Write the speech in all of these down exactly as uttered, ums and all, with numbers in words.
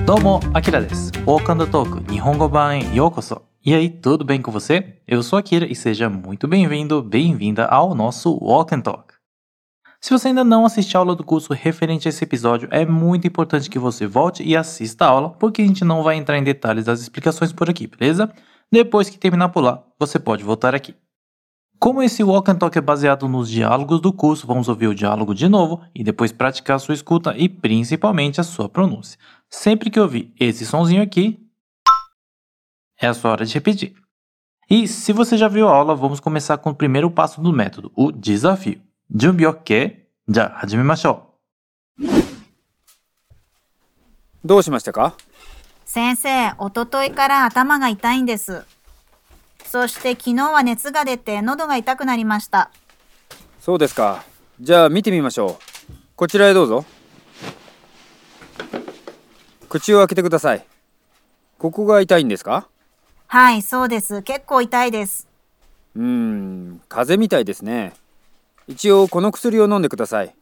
どうも、アキラです。Walk and Talk 日本語版へようこそ。E aí, tudo bem com você? Eu sou Akira e seja muito bem-vindo, bem-vinda ao nosso Walk and Talk. Se você ainda não assistiu a aula do curso referente a esse episódio, é muito importante que você volte e assista a aula, porque a gente não vai entrar em detalhes das explicações por aqui, beleza? Depois que terminar por lá, você pode voltar aqui. Como esse Walk and Talk é baseado nos diálogos do curso, vamos ouvir o diálogo de novo e depois praticar a sua escuta e principalmente a sua pronúncia. Sempre que ouvir esse sonzinho aqui, é a sua hora de repetir. E se você já viu a aula, vamos começar com o primeiro passo do método, o desafio. Junbi OK? じゃあ始めましょう。どうしましたか？先生、おとといから頭が痛いんです。そして昨日は熱が出て喉が痛くなりました。そうですか。じゃあ見てみましょう。こちらへどうぞ。口を開けてください。ここが痛いんですか？はい、そうです。結構痛いです。うーん、風邪みたいですね。一応この薬を飲んでください。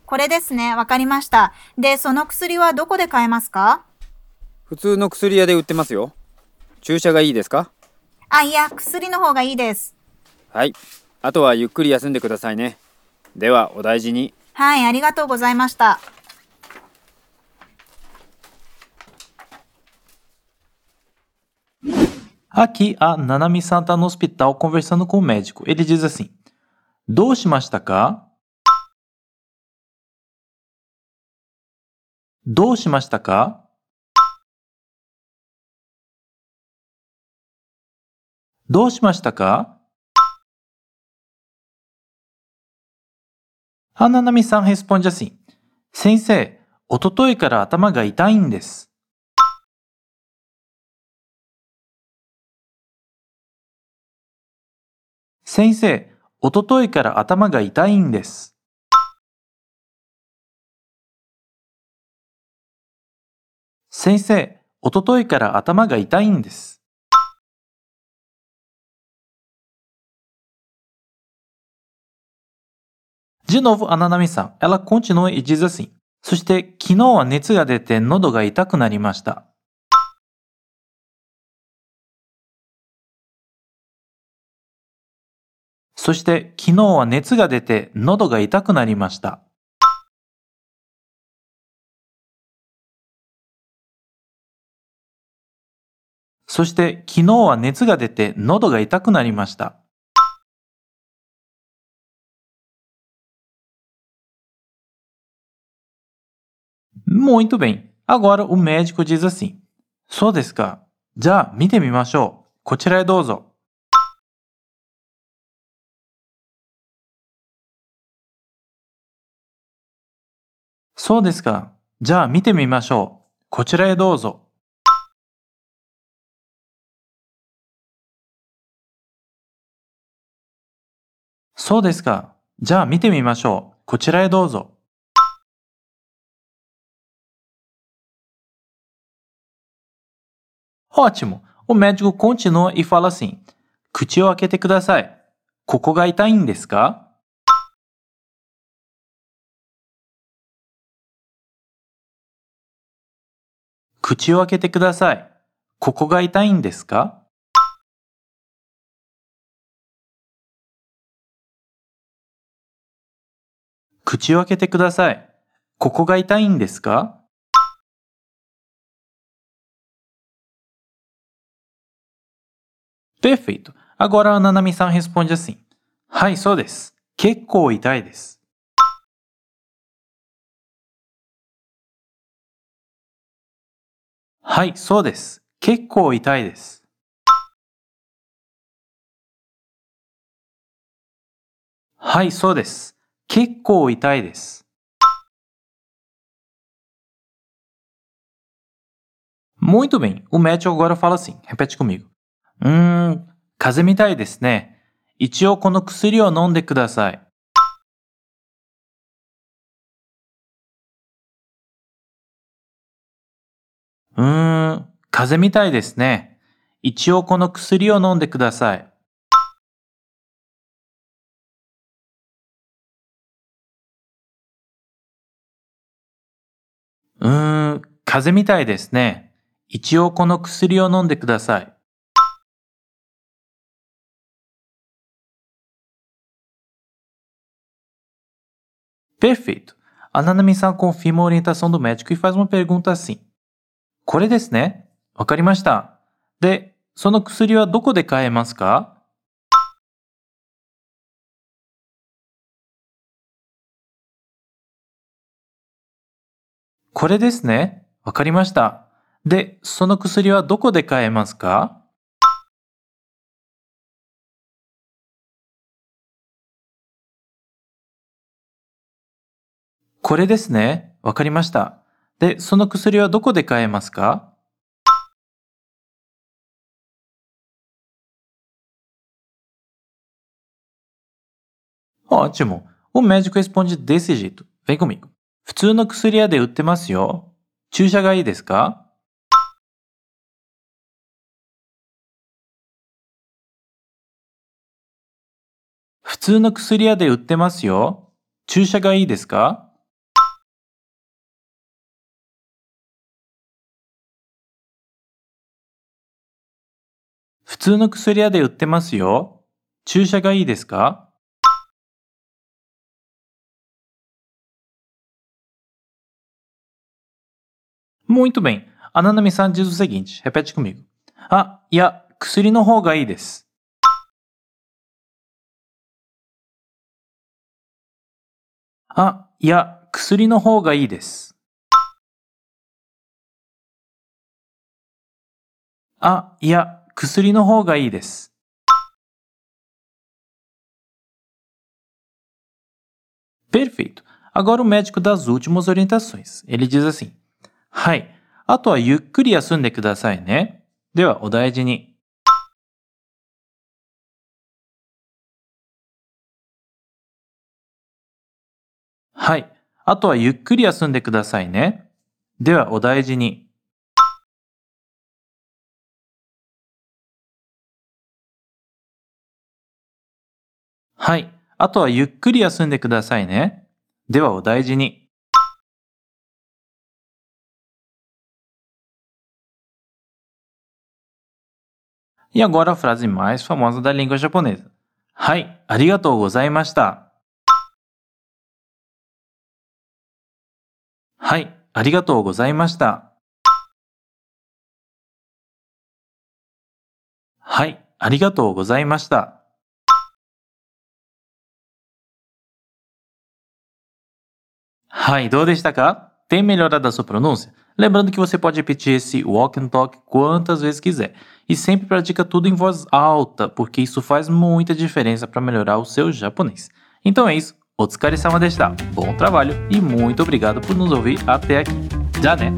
これですね、わかりました。で、その薬はどこで買えますか？普通の薬屋で売ってますよ。注射がいいですか？あ、いや、薬の方がいいです。はい。あとはゆっくり休んでくださいね。では、お大事に。はい、ありがとうございました。Aqui, a Nanami-san está no hospital conversando com o médico. Ele diz assim: どうしましたか? どうしましたか? どうしましたか? A Nanami-san responde assim: 先生、おとといから頭が痛いんです。先生、おとといから頭が痛いんです。先生、おとといから頭が痛いんです。De novo, a Nanami-san, ela continua e diz assim: そして昨日は熱が出て喉が痛くなりました。そして昨日は熱が出て喉が痛くなりました。そして昨日は熱が出て喉が痛くなりました。Muito bem. Agora o médico diz assim: そうですか。じゃあ見てみましょう。こちらへどうぞ。そうですか。じゃあ見てみましょう。こちらへどうぞ。そうですか。じゃあ見てみましょう。こちらへどうぞ。Ótimo! O médico continua e fala assim: 口を開けてください。ここが痛いんですか? 口を開けてください。ここが痛いんですか? 口を開けてください。ここが痛いんですか? Perfeito. Agora a Nanami-san responde assim: はい、そうです。結構痛いです。はい、そうです。結構痛いです。はい、そうです。結構痛いです。Muito bem. O médico agora fala assim. Repete comigo. うーん、風邪みたいですね。一応この薬を飲んでください。うーん、風邪みたいですね。一応この薬を飲んでください。風邪みたいですね。一応この薬を飲んでください。Perfeito. A Nanami-san confirma a orientação do médico e faz uma pergunta assim. これですね。わかりました。で、その薬はどこで買えますか？これですね。わかりました。で、その薬はどこで買えますか？これですね。わかりました。で、その薬はどこで買えますか？ Ótimo! O médico responde desse jeito. Vem comigo. 普通の薬屋で売ってますよ。注射がいいですか？普通の薬屋で売ってますよ。注射がいいですか？普通の薬屋で売ってますよ。注射がいいですか？ Muito bem. A Nanami-san diz o seguinte. Repete comigo. Ah, いや、薬の方がいいです。あ、いや、薬の方がいいです。あ、いや、薬の方がいいです。Perfeito. Agora o médico dá as últimas orientações. Ele diz assim. はい。あとはゆっくり休んでくださいね。では、お大事に。はい。あとはゆっくり休んでくださいね。では、お大事に。はい。あとはゆっくり休んでくださいね。では、お大事に。E agora a frase mais famosa da língua japonesa. はい、ありがとうございました。はい、ありがとうございました。はい、ありがとうございました。はい、どうでしたか? Tem melhorado a sua pronúncia? Lembrando que você pode repetir esse walk and talk quantas vezes quiser. E sempre pratica tudo em voz alta, porque isso faz muita diferença para melhorar o seu japonês. Então é isso. Otsukare-sama deshita. Bom trabalho e muito obrigado por nos ouvir até aqui. Já né?